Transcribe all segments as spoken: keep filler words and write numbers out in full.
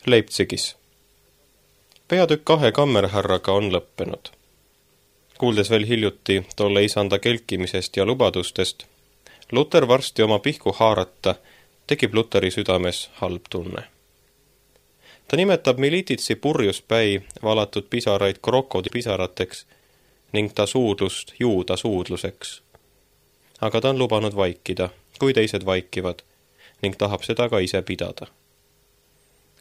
Leipzigis. Peatükk kahe kammerhärraga on lõppenud. Kuuldes veel hiljuti tolle isanda kelkimisest ja lubadustest, Luter varsti oma pihku haarata tekib Luteri südames halb tunne. Ta nimetab Milititsi purjuspäi valatud pisaraid krokodipisarateks ning ta suudlust juuda suudluseks. Aga ta on lubanud vaikida, kui teised vaikivad, ning tahab seda ka ise pidada.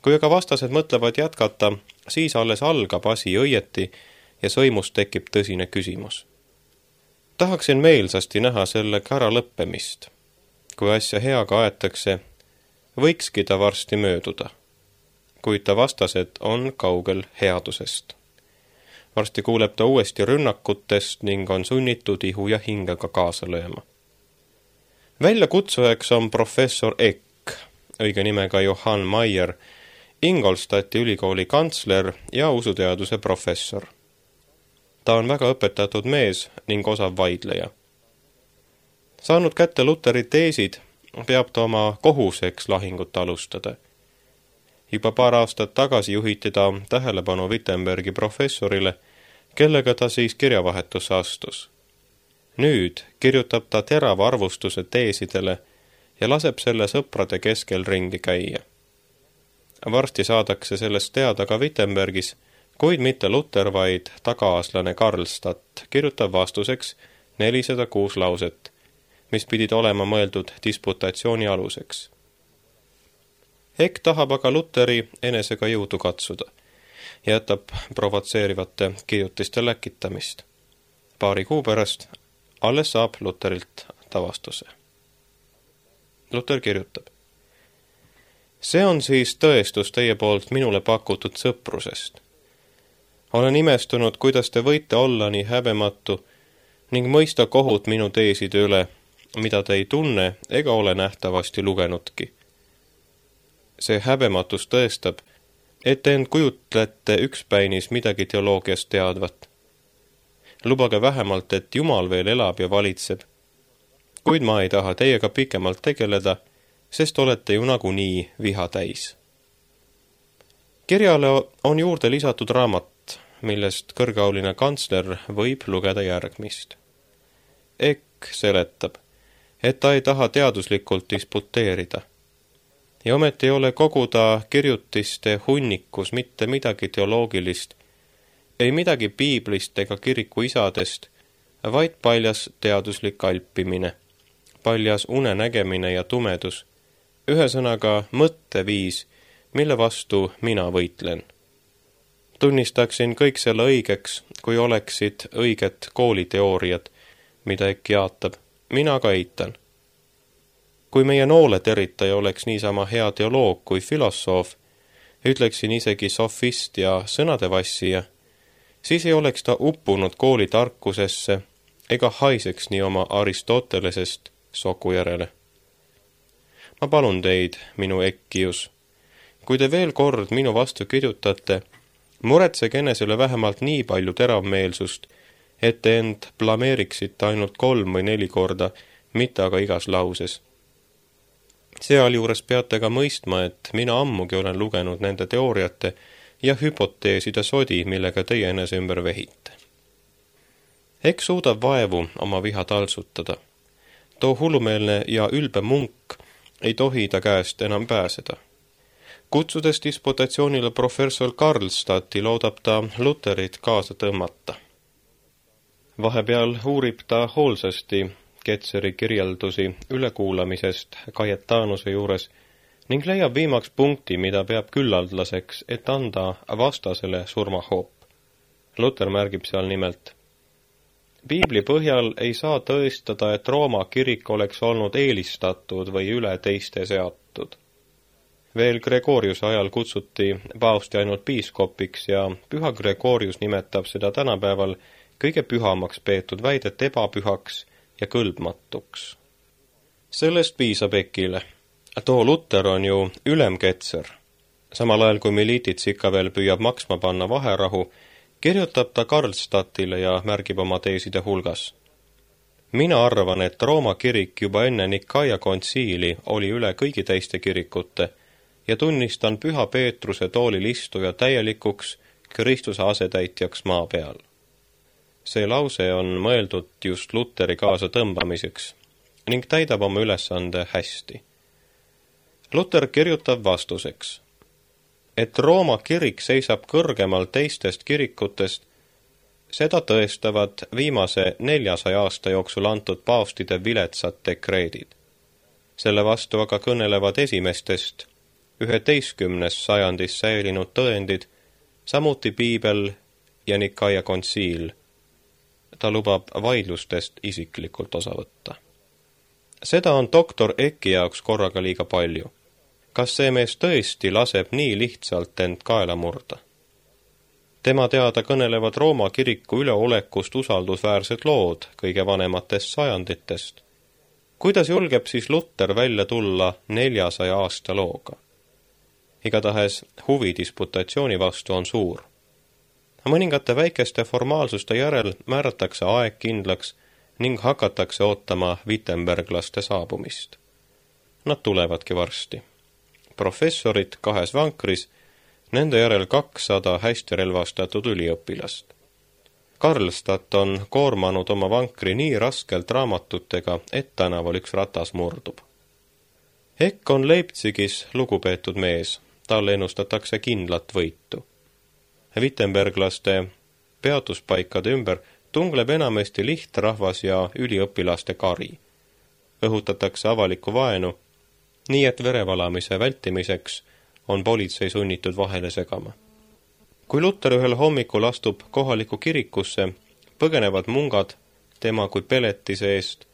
Kui aga vastased mõtlevad jätkata, siis alles algab asi õieti ja sõimust tekib tõsine küsimus. Tahaksin meelsasti näha selle kära lõppemist. Kui asja heaga aetakse, võikski ta varsti mööduda. Kuid ta vastased on kaugel headusest. Varsti kuuleb ta uuesti rünnakutest ning on sunnitud ihu ja hingega kaasa lööma. Väljakutsujaks on professor Eck, õige nimega Johann Meyer, Ingolstadti ülikooli kantsler ja usuteaduse professor. Ta on väga õpetatud mees ning osav vaidleja. Saanud kätte Luteri teesid, peab ta oma kohuseks lahingut alustada. Juba paar aastat tagasi juhiti ta tähelepanu Wittenbergi professorile, kellega ta siis kirjavahetusse astus. Nüüd kirjutab ta terava arvustuse teesidele ja laseb selle sõprade keskel ringi käia. Varsti saadakse sellest teada ka Wittenbergis, kuid mitte Luter, vaid tagaaslane Karlstadt kirjutab vastuseks nelisada kuus lauset, mis pidid olema mõeldud disputatsiooni aluseks. Eck tahab aga Luteri enesega jõudu katsuda ja jätab provotseerivate kirjutiste läkitamist. Paari kuu pärast alles saab Luterilt ta vastuse. Luter kirjutab: See on siis tõestus teie poolt minule pakutud sõprusest. Olen imestunud, kuidas te võite olla nii häbematu ning mõista kohut minu teeside üle, mida te ei tunne ega ole nähtavasti lugenudki. See häbematus tõestab, et te end kujutlete ükspäinis midagi teoloogiast teadvat. Lubage vähemalt, et Jumal veel elab ja valitseb, kuid ma ei taha teiega pikemalt tegeleda, sest olete ju nagunii viha täis. Kirjale on juurde lisatud raamat, millest kõrgeauline kantsler võib lugeda järgmist. Eck seletab, et ta ei taha teaduslikult disputeerida. Ja ometi ei ole koguda kirjutiste hunnikus mitte midagi teoloogilist, ei midagi piiblist ega kiriku isadest, vaid paljas teaduslik alpimine, paljas unenägemine ja tumedus, ühesõnaga mõtteviis, mille vastu mina võitlen. Tunnistaksin kõik selle õigeks, kui oleksid õiget kooliteooriad, mida Eck jaatab, mina ka eitan. Kui meie nooleteritaja oleks niisama hea teoloog kui filosoof, ütleksin isegi sofist ja sõnadevassija, siis ei oleks ta uppunud kooli tarkusesse ega haiseks nii oma Aristotelesest soku järele. Ma palun teid, minu Eckius, kui te veel kord minu vastu kirjutate, muretsege enesele vähemalt nii palju teravmeelsust, et te end blameeriksite ainult kolm või neli korda, mitte aga igas lauses. Sealjuures peate ka mõistma, et mina ammugi olen lugenud nende teooriate ja hüpoteeside sodi, millega teie enese ümber vehite. Eck suudab vaevu oma viha taltsutada. Too hullumeelne ja ülbe munk ei tohi ta käest enam pääseda. Kutsudes disputatsioonile professor Karlstadti loodab ta Luterit kaasa tõmmata. Vahepeal uurib ta hoolsasti Ketseri kirjeldusi ülekuulamisest Kajetanuse juures ning leiab viimaks punkti, mida peab küllaldlaseks, et anda vastasele surmahoop. Luter märgib seal nimelt: Piibli põhjal ei saa tõestada, et Rooma kirik oleks olnud eelistatud või üle teiste seatud. Veel Gregoriuse ajal kutsuti paavsti ainult piiskopiks ja püha Gregorius nimetab seda tänapäeval kõige pühamaks peetud väidet ebapühaks ja kõlbmatuks. Sellest piisab Eckile. Too Luter on ju ülemketser. Samal ajal kui Militits ikka veel püüab maksma panna vaherahu, kirjutab ta Karlstadtile ja märgib oma teeside hulgas: Mina arvan, et Rooma kirik juba enne Nikaia kontsiili oli üle kõigi teiste kirikute ja tunnistan Püha Peetruse toolil istuja täielikuks Kristuse asetäitjaks maa peal. See lause on mõeldud just Luteri kaasa tõmbamiseks ning täidab oma ülesande hästi. Luter kirjutab vastuseks, et Rooma kirik seisab kõrgemal teistest kirikutest, seda tõestavad viimase neljasaja aasta jooksul antud paavstide viletsad dekreedid. Selle vastu aga kõnelevad esimestest üheteistkümnes sajandis säilinud tõendid, samuti piibel ja Nikaia kontsiil. Ta lubab vaidlustest isiklikult osa võtta. Seda on doktor Ecki jaoks korraga liiga palju. Kas see mees tõesti laseb nii lihtsalt end kaela murda? Tema teada kõnelevad Rooma kiriku üleolekust usaldusväärsed lood kõige vanematest sajanditest. Kuidas julgeb siis Luter välja tulla neljasaja aasta looga? Igatahes huvi disputatsiooni vastu on suur. Mõningate väikeste formaalsuste järel määratakse aeg kindlaks ning hakatakse ootama Wittenberglaste saabumist. Nad tulevadki varsti. Professorid kahes vankris, nende järel kakssada hästi relvastatud üliõpilast. Karlstadt on koormanud oma vankri nii raskelt raamatutega, et tänaval üks ratas murdub. Eck on Leipzigis lugupeetud mees, talle ennustatakse kindlat võitu. Wittenberglaste peatuspaikade ümber tungleb enamasti lihtrahvas ja üliõpilaste kari. Õhutatakse avalikku vaenu, nii et verevalamise vältimiseks on politsei sunnitud vahele segama. Kui Luter ühel hommikul astub kohalikku kirikusse, põgenevad mungad tema kui peletise eest,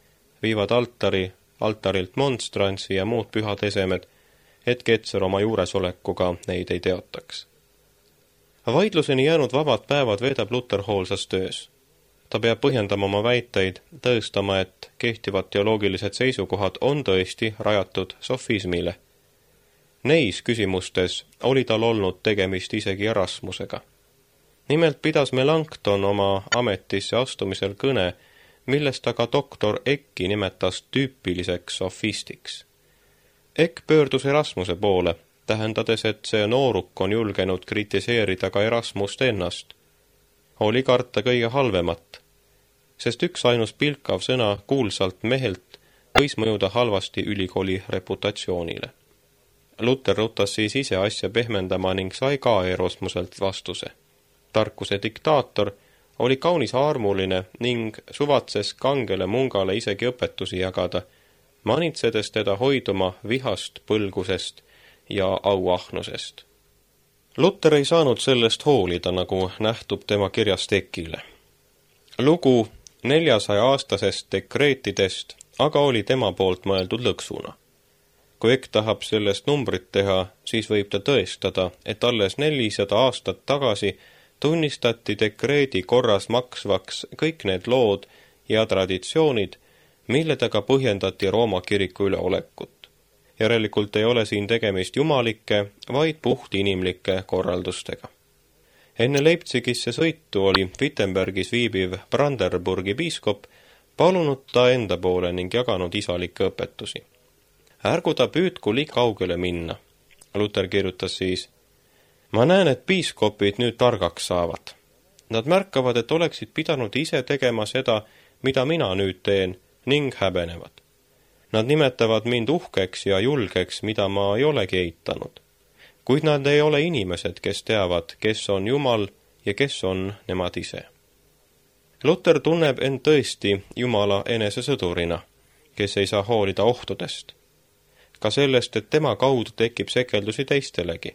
viivad altari, altarilt monstrantsi ja muud pühad esemed, et Ketser oma juuresolekuga neid ei teotaks. Vaidluseni jäänud vabad päevad veedab Luter hoolsas töös. Ta peab põhjendama oma väiteid, tõestama, et kehtivad teoloogilised seisukohad on tõesti rajatud sofismile. Neis küsimustes oli tal olnud tegemist isegi Erasmusega. Nimelt pidas Melanchthon oma ametisse astumisel kõne, millest aga doktor Ecki nimetas tüüpiliseks sofistiks. Eck pöördus Erasmuse poole, tähendades, et see nooruk on julgenud kritiseerida ka Erasmust ennast. Oli karta kõige halvemat, sest üks ainus pilkav sõna kuulsalt mehelt võis mõjuda halvasti ülikooli reputatsioonile. Luter rutas siis ise asja pehmendama ning sai ka Erasmuselt vastuse. Tarkuse diktaator oli kaunis armuline ning suvatses kangele mungale isegi õpetusi jagada, manitsedes teda hoiduma vihast, põlgusest ja auahnusest. Luter ei saanud sellest hoolida, nagu nähtub tema kirjast Eckile. Lugu neljasaja aastasest dekreetidest aga oli tema poolt mõeldud lõksuna. Kui Eck tahab sellest numbrit teha, siis võib ta tõestada, et alles nelisada aastat tagasi tunnistati dekreedi korras maksvaks kõik need lood ja traditsioonid, milledega põhjendati Rooma kiriku üleolekut. Järelikult ei ole siin tegemist jumalike, vaid puht inimlike korraldustega. Enne Leipzigisse sõitu oli Wittenbergis viibiv Brandenburgi piiskop palunud ta enda poole ning jaganud isalikke õpetusi. Ärgu ta püüdku liiga kaugele minna. Luter kirjutas siis, ma näen, et piiskopid nüüd targaks saavad. Nad märkavad, et oleksid pidanud ise tegema seda, mida mina nüüd teen, ning häbenevad. Nad nimetavad mind uhkeks ja julgeks, mida ma ei olegi eitanud. Kuid nad ei ole inimesed, kes teavad, kes on Jumal ja kes on nemad ise. Luter tunneb end tõesti Jumala enesesõdurina, kes ei saa hoolida ohtudest. Ka sellest, et tema kaudu tekib sekeldusi teistelegi.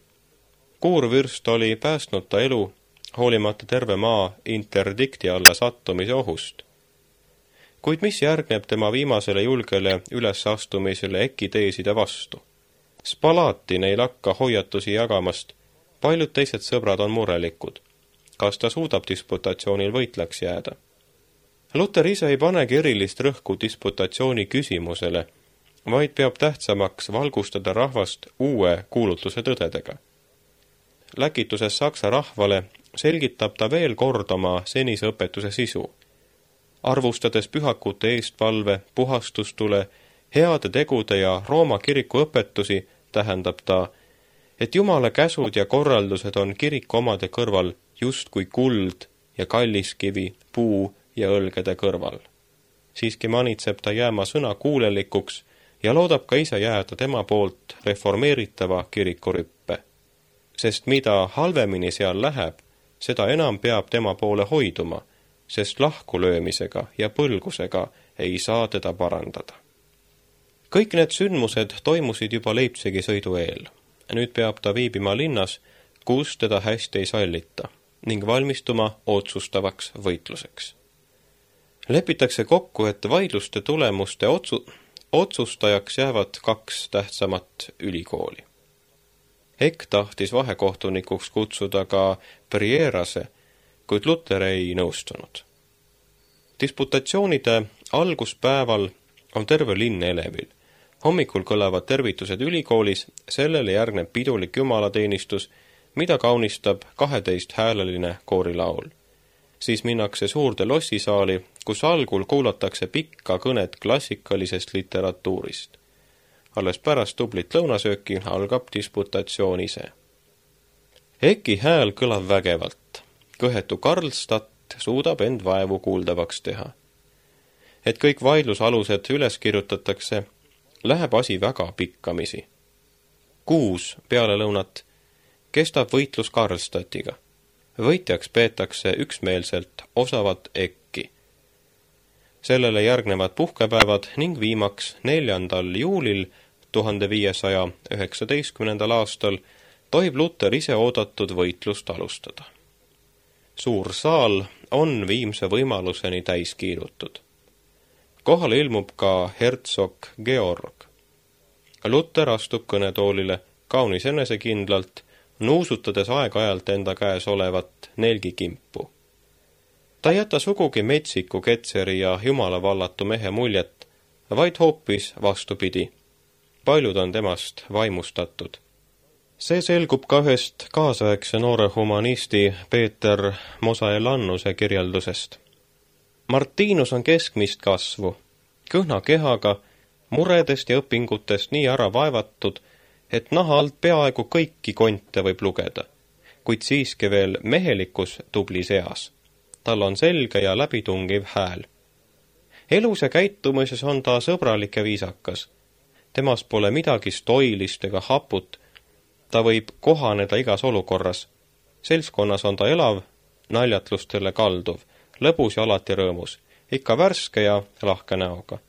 Kuurvürst oli päästnud ta elu, hoolimata terve maa interdikti alla sattumise ohust. Kuid mis järgneb tema viimasele julgele ülesastumisele Ecki teeside vastu? Spalatin ei lakka hoiatusi jagamast, paljud teised sõbrad on murelikud. Kas ta suudab disputatsioonil võitlaks jääda? Luter ise ei panegi erilist rõhku disputatsiooni küsimusele, vaid peab tähtsamaks valgustada rahvast uue kuulutuse tõdedega. Läkituses saksa rahvale selgitab ta veel kord oma senise õpetuse sisu. Arvustades pühakute eestvalve, puhastustule, heade tegude ja Rooma kiriku õpetusi, tähendab ta, et Jumala käsud ja korraldused on kiriku omade kõrval justkui kuld ja kalliskivi puu ja õlgede kõrval. Siiski manitseb ta jääma sõna kuulelikuks ja loodab ka ise jääda tema poolt reformeeritava kirikurüppe. Sest mida halvemini seal läheb, seda enam peab tema poole hoiduma, sest lahkulöömisega ja põlgusega ei saa teda parandada. Kõik need sündmused toimusid juba Leipzigi sõidu eel. Nüüd peab ta viibima linnas, kus teda hästi ei sallita ning valmistuma otsustavaks võitluseks. Lepitakse kokku, et vaidluste tulemuste otsu otsustajaks jäävad kaks tähtsamat ülikooli. Eck tahtis vahekohtunikuks kutsuda ka Prierase, kuid Luther ei nõustunud. Disputatsioonide alguspäeval on terve linn elevil. Hommikul kõlavad tervitused ülikoolis, sellele järgneb pidulik jumalateenistus, mida kaunistab kaheteist hääleline koorilaul. Siis minnakse suurde lossisaali, kus algul kuulatakse pikka kõnet klassikalisest literatuurist. Alles pärast tublit lõunasööki algab disputatsioon ise. Ecki hääl kõlab vägevalt. Kõhetu Karlstadt suudab end vaevu kuuldavaks teha. Et kõik vaidlusalused üles kirjutatakse, läheb asi väga pikkamisi. Kuus peale lõunat kestab võitlus Karlstadtiga. Võitjaks peetakse üksmeelselt osavat Ecki. Sellele järgnevad puhkepäevad ning viimaks neljandal juulil tuhande viiesaja üheksateistkümnendal aastal tohib Luther ise oodatud võitlust alustada. Suur saal on viimse võimaluseni täis kiirutud. Kohale ilmub ka hertsog Georg. Luther astub kõnetoolile kaunis enesekindlalt, nuusutades aeg-ajalt enda käes olevat nelgikimpu. Ta ei jäta sugugi metsiku ketseri ja jumalavallatu mehe muljet, vaid hoopis vastupidi. Paljud on temast vaimustatud. See selgub ka ühest kaasaegse noore humanisti Peeter Mosaelannuse kirjeldusest. Martinus on keskmist kasvu, kõhna kehaga, muredest ja õpingutest nii ära vaevatud, et naha alt peaaegu kõiki konte võib lugeda, kuid siiski veel mehelikus tublis eas. Tal on selge ja läbitungiv hääl. Elus ja käitumises on ta sõbralik ja viisakas. Temas pole midagi stoilist ega haput. Ta võib kohaneda igas olukorras. Seltskonnas on ta elav, naljatlustele kalduv, lõbus ja alati rõõmus, ikka värske ja lahke näoga.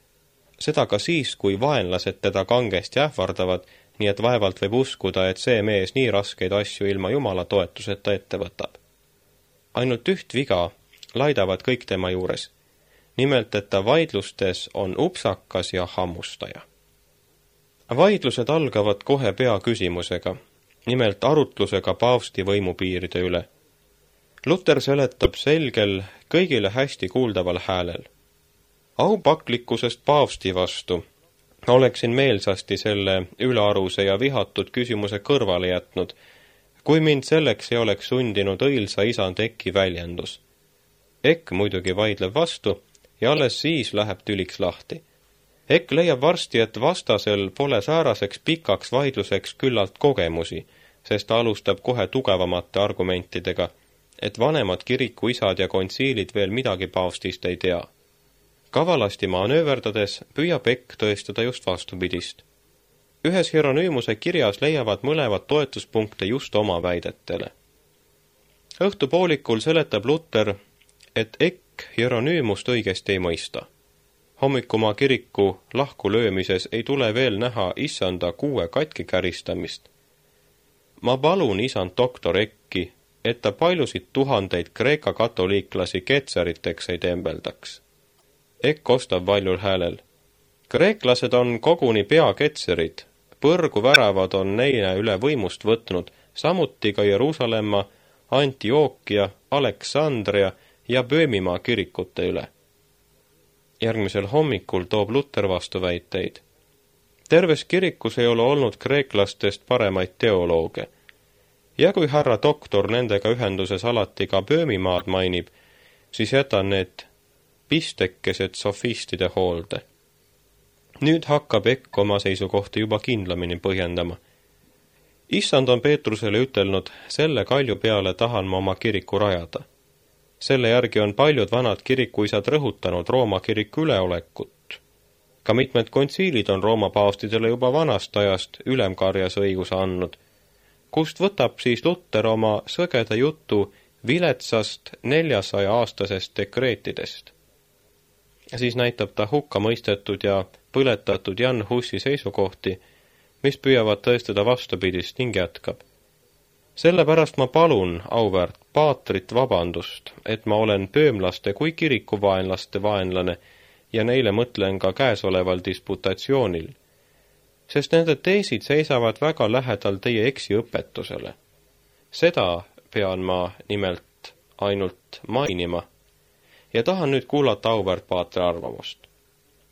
Seda ka siis, kui vaenlased teda kangesti ähvardavad, nii et vaevalt võib uskuda, et see mees nii raskeid asju ilma Jumala toetuseta ette võtab. Ainult üht viga laidavad kõik tema juures. Nimelt, et ta vaidlustes on upsakas ja hammustaja. Vaidlused algavad kohe pea küsimusega, nimelt arutlusega paavsti võimupiiride üle. Luther seletab selgel, kõigile hästi kuuldaval häälel. Aupaklikkusest paavsti vastu oleksin meelsasti selle ülearuse ja vihatud küsimuse kõrvale jätnud, kui mind selleks ei oleks sundinud õilsa isand Ecki väljendus. Eck muidugi vaidleb vastu ja alles siis läheb tüliks lahti. Eck leiab varsti, et vastasel pole sääraseks pikaks vaidluseks küllalt kogemusi, sest ta alustab kohe tugevamate argumentidega, et vanemad kirikuisad ja kontsiilid veel midagi paavstist ei tea. Kavalasti manööverdades püüab Eck tõestada just vastupidist. Ühes Hieronymuse kirjas leiavad mõlevad toetuspunkte just oma väidetele. Õhtupoolikul seletab Luther, et Eck Hieronymust õigesti ei mõista. Hommikumaa kiriku lahku löömises ei tule veel näha issanda kuue katki käristamist. Ma palun isand doktor Ecki, et ta paljusid tuhandeid Kreeka katoliiklasi ketseriteks ei tembeldaks. Eck ostab valjul häälel. Kreeklased on koguni peaketserid, põrgu väravad on neile üle võimust võtnud, samuti ka Jeruusalemma, Antiookia, Aleksandria ja Böömimaa kirikute üle. Järgmisel hommikul toob Luther vastuväiteid. Terves kirikus ei ole olnud kreeklastest paremaid teolooge. Ja kui härra doktor nendega ühenduses alati ka Böömimaad mainib, siis jätan need pistekesed sofistide hoolde. Nüüd hakkab Eck oma seisukohti juba kindlamini põhjendama. Issand on Peetrusele ütelnud, selle kalju peale tahan ma oma kiriku rajada. Selle järgi on paljud vanad kirikuisad rõhutanud Rooma kiriku üleolekut. Ka mitmed kontsiilid on Rooma paavstidele juba vanast ajast ülemkarjas õiguse andnud, kust võtab siis Luter oma sõgeda jutu viletsast neljasaja aastasest dekreetidest. Siis näitab ta hukka mõistetud ja põletatud Jan Hussi seisukohti, mis püüavad tõestada vastupidist ning jätkab. Sellepärast ma palun auväärt paatrit vabandust, et ma olen pöömlaste kui kirikuvaenlaste vaenlane ja neile mõtlen ka käesoleval disputatsioonil, sest nende teesid seisavad väga lähedal teie eksiõpetusele. Seda pean ma nimelt ainult mainima ja tahan nüüd kuulata auväärt paatri arvamust.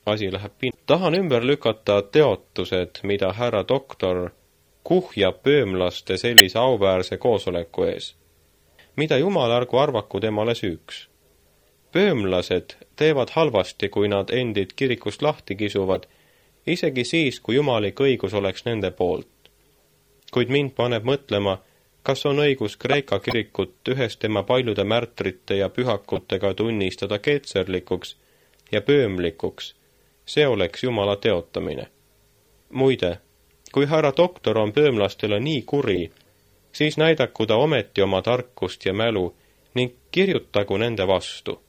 Asi läheb pin-. Tahan ümber lükata teotused, mida härra doktor kuhjab pöömlaste sellise auväärse koosoleku ees. Mida jumalargu arvaku temale süüks. Pöömlased teevad halvasti, kui nad endid kirikust lahti kisuvad, isegi siis, kui jumalik õigus oleks nende poolt. Kuid mind paneb mõtlema, kas on õigus Kreeka kirikut ühes tema paljude märtrite ja pühakutega tunnistada keetserlikuks ja pöömlikuks. See oleks Jumala teotamine. Muide, kui härra doktor on pöömlastele nii kuri, siis näidaku ta ometi oma tarkust ja mälu ning kirjutagu nende vastu.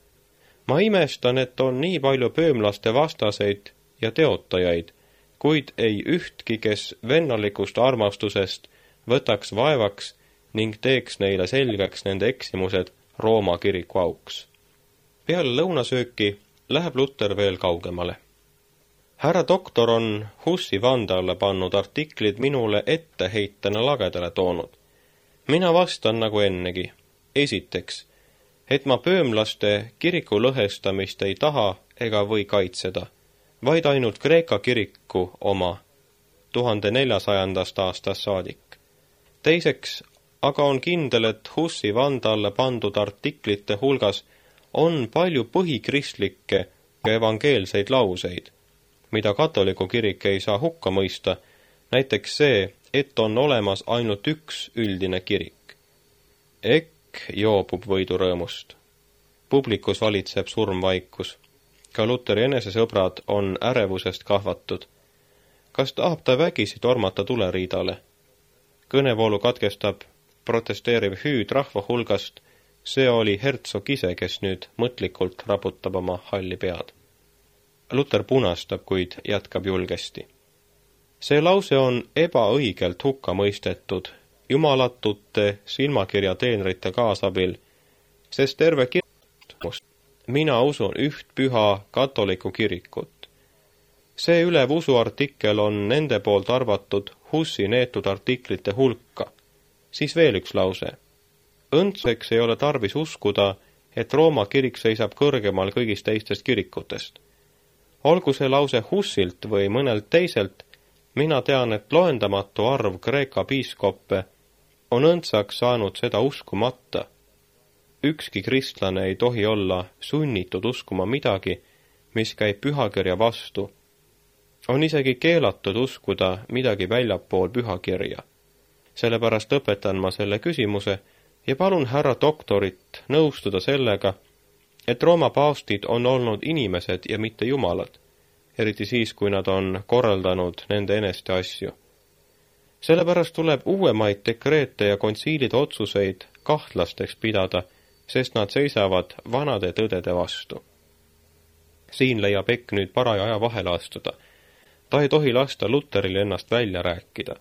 Ma imestan, et on nii palju pöömlaste vastaseid ja teotajaid, kuid ei ühtki, kes vennalikust armastusest võtaks vaevaks ning teeks neile selgeks nende eksimused Rooma kiriku auks. Peale lõunasööki läheb Luter veel kaugemale. Härra doktor on Hussi vande alla pannud artiklid minule etteheitena lagedale toonud. Mina vastan nagu ennegi. Esiteks, et ma pöömlaste kiriku lõhestamist ei taha ega või kaitseda, vaid ainult Kreeka kiriku oma tuhande neljasajandast aastast saadik. Teiseks, aga on kindel, et Hussi vande alla pandud artiklite hulgas on palju põhikristlikke ja evangeelseid lauseid, mida katoliku kirik ei saa hukka mõista, näiteks see, et on olemas ainult üks üldine kirik. Ekk joobub võidurõõmust. Publikus valitseb surmvaikus. Ka Luteri enesesõbrad on ärevusest kahvatud. Kas tahab ta vägisi tormata tuleriidale? Kõnevoolu katkestab protesteeriv hüüd rahva hulgast, see oli hertsog ise, kes nüüd mõtlikult raputab oma halli pead. Luter punastab, kuid jätkab julgesti. See lause on ebaõigelt hukka mõistetud jumalatute silmakirja teenrite kaasabil, sest terve kirjast mina usun üht püha katoliku kirikut. See ülev usuartikkel on nende poolt arvatud Hussi neetud artiklite hulka. Siis veel üks lause. Õndseks ei ole tarvis uskuda, et Rooma kirik seisab kõrgemal kõigist teistest kirikutest. Olgu see lause Hussilt või mõnelt teiselt, mina tean, et loendamatu arv Kreeka piiskoppe on õndsaks saanud seda uskumata. Ükski kristlane ei tohi olla sunnitud uskuma midagi, mis käib pühakirja vastu. On isegi keelatud uskuda midagi väljapool pühakirja. Sellepärast õpetan ma selle küsimuse ja palun härra doktorit nõustuda sellega, et Rooma paavstid on olnud inimesed ja mitte jumalad, eriti siis, kui nad on korraldanud nende eneste asju. Sellepärast tuleb uuemaid dekreete ja kontsiilide otsuseid kahtlasteks pidada, sest nad seisavad vanade tõdede vastu. Siin leiab Ekk nüüd paraja aja vahele astuda. Ta ei tohi lasta Luteril ennast välja rääkida.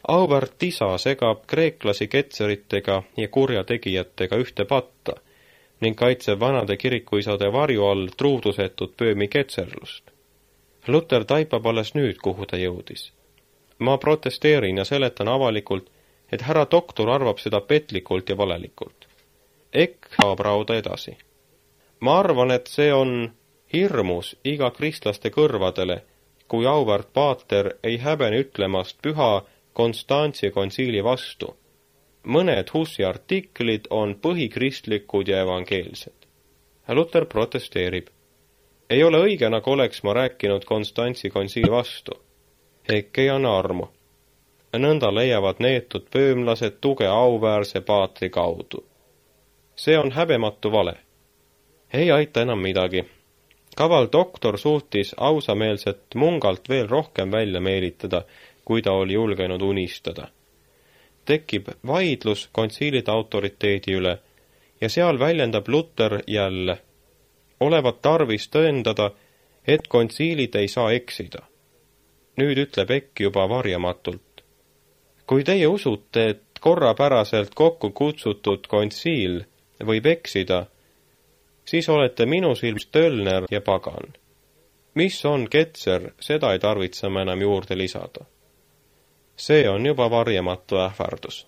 Auväärt isa segab kreeklasi ketseritega ja kurjategijatega ühte patta ning kaitseb vanade kirikuisade varju all truudusetut pöömi ketserlust. Luter taipab alles nüüd, kuhu ta jõudis. Ma protesteerin ja seletan avalikult, et härra doktor arvab seda petlikult ja valelikult. Ekk saab rauda edasi. Ma arvan, et see on hirmus iga kristlaste kõrvadele, kui auväärt paater ei häbene ütlemast püha Konstantsi kontsiili vastu. Mõned Hussi artiklid on põhikristlikud ja evangeelsed. Luter protesteerib. Ei ole õige, nagu oleks ma rääkinud Konstantsi kontsiili vastu. Ekk ei anna armu. nõnda leiavad neetud pöömlased tuge auväärse paatri kaudu. See on häbematu vale. Ei aita enam midagi. Kaval doktor suutis ausameelset mungalt veel rohkem välja meelitada, kui ta oli julgenud unistada. Tekib vaidlus kontsiilide autoriteedi üle ja seal väljendab Luter jälle. Olevat tarvis tõendada, et kontsiilid ei saa eksida. Nüüd ütleb Eck juba varjamatult. Kui teie usute, et korrapäraselt kokku kutsutud kontsiil võib eksida, siis olete minu silmis tölner ja pagan. Mis on ketser, seda ei tarvitse me enam juurde lisada. See on juba varjamatu ähvardus.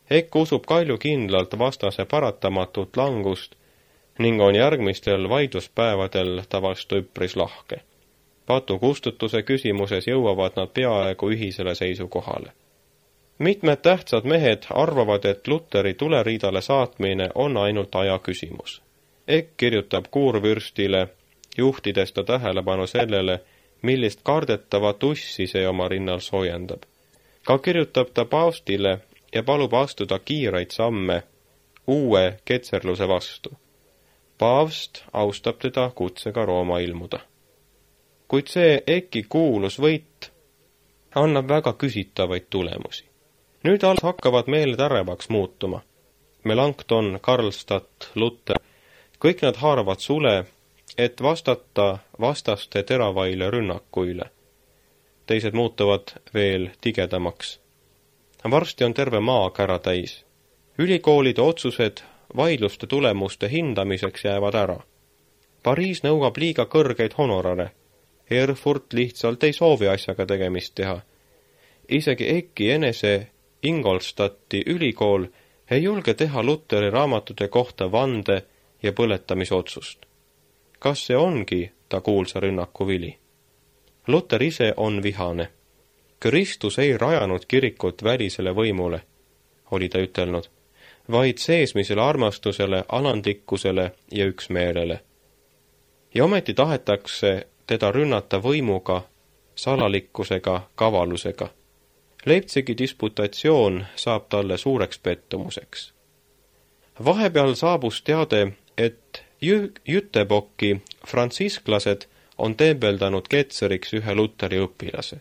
Eck usub kaljukindlalt vastase paratamatut langust ning on järgmistel vaidluspäevadel ta vastu üpris lahke. Patukustutuse küsimuses jõuavad nad peaaegu ühisele seisukohale. Mitmed tähtsad mehed arvavad, et Luteri tuleriidale saatmine on ainult aja küsimus. Eck kirjutab kuurvürstile, juhtides ta tähelepanu sellele, millist kardetavat ussi see oma rinnal soojendab. Ka kirjutab ta paavstile ja palub astuda kiireid samme uue ketserluse vastu. Paavst austab teda kutsega Rooma ilmuda. Kuid see Ecki kuulus võit annab väga küsitavaid tulemusi. Nüüd alles hakkavad meeled ärevaks muutuma. Melanchthon, Karlstadt, Luther, kõik nad haaravad sule, et vastata vastaste teravaile rünnakuile. Teised muutuvad veel tigedamaks. Varsti on terve maa kära täis. Ülikoolide otsused vaidluste tulemuste hindamiseks jäävad ära. Pariis nõuab liiga kõrgeid honorare. Erfurt lihtsalt ei soovi asjaga tegemist teha. Isegi Ecki enese Ingolstadti ülikool ei julge teha Luteri raamatute kohta vande ja põletamisotsust. Kas see ongi ta kuulsa rünnaku vili? Luter ise on vihane. Kristus ei rajanud kirikut välisele võimule, oli ta ütelnud, vaid seesmisele armastusele, alandlikkusele ja üksmeelele. Ja ometi tahetakse teda rünnata võimuga, salalikkusega, kavalusega. Leipzigi disputatsioon saab talle suureks pettumuseks. Vahepeal saabus teade, et Jütebokki frantsisklased on tembeldanud ketseriks ühe Luteri õpilase.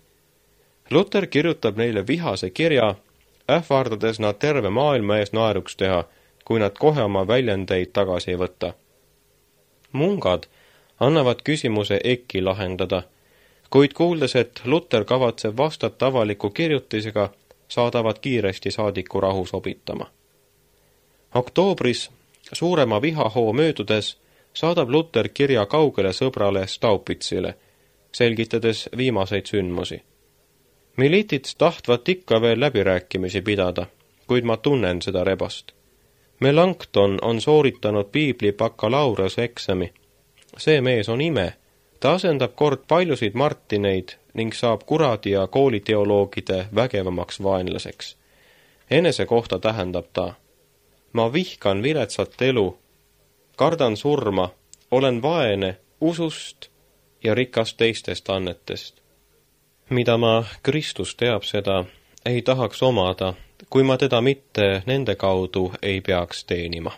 Luter kirjutab neile vihase kirja, ähvardades nad terve maailma ees naeruks teha, kui nad kohe oma väljendeid tagasi ei võta. Mungad annavad küsimuse Ecki lahendada, kuid kuuldes, et Luter kavatseb vastata avaliku kirjutisega, saadavad kiiresti saadiku rahu sobitama. Oktoobris, suurema vihahoo möödudes, saadab Luter kirja kaugele sõbrale Staupitsile, selgitades viimaseid sündmusi. Militits tahtvat ikka veel läbirääkimisi pidada, kuid ma tunnen seda rebast. Melanchthon on sooritanud piibli bakalaureuse eksami. See mees on ime. Ta asendab kord paljusid Martineid ning saab kuradi ja kooliteoloogide vägevamaks vaenlaseks. Enese kohta tähendab ta: ma vihkan viletsat elu, kardan surma, olen vaene usust ja rikas teistest annetest. Mida ma, Kristus teab seda, ei tahaks omada, kui ma teda mitte nende kaudu ei peaks teenima.